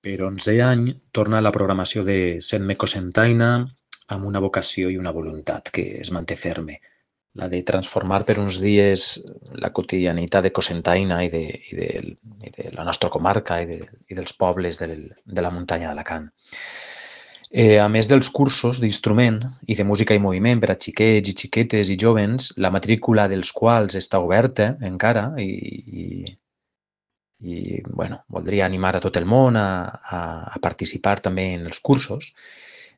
Per 11è any torna la programació de Setme Cocentaina amb una vocació i una voluntat que es manté ferme, la de transformar per uns dies la quotidianitat de Cocentaina i de la nostra comarca i dels pobles de la muntanya d'Alacant. A més dels cursos d'instrument i de música i moviment per a xiquets i xiquetes i jovens, la matrícula dels quals està oberta encara i bueno, voldria animar a tot el món a participar també en els cursos.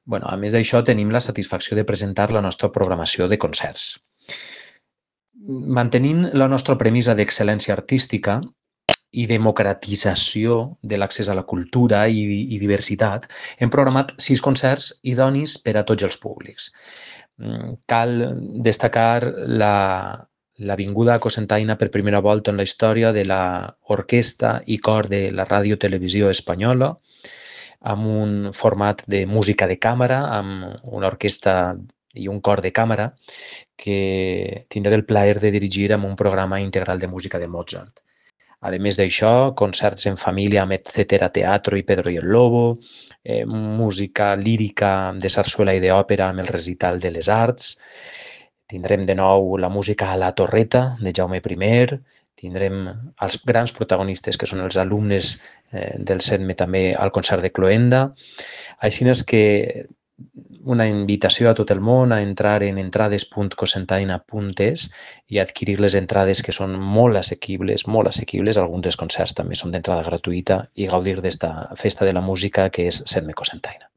Bueno, a més d'això, tenim la satisfacció de presentar la nostra programació de concerts. Mantenint la nostra premissa d'excel·lència artística i democratització de l'accés a la cultura i diversitat, hem programat 6 concerts idonis per a tots els públics. Cal destacar la vinguda a Cocentaina per primera volta en la història de l'orquestra i cor de la Ràdio Televisió Espanyola, amb un format de música de càmera, amb una orquestra i un cor de càmera, que tindré el plaer de dirigir amb un programa integral de música de Mozart. A més d'això, concerts en família amb Etcétera Teatro i Pedro y el Lobo, música lírica de sarsuela i d'òpera amb el recital de les arts, tindrem de nou la música a la Torreta de Jaume I, tindrem els grans protagonistes que són els alumnes del CEDME també al concert de Cloenda. Així és que una invitació a tot el món a entrar en entrades.cocentaina.es i adquirir les entrades que són molt assequibles, alguns dels concerts també són d'entrada gratuïta i gaudir d'esta festa de la música que és CEDME Cocentaina.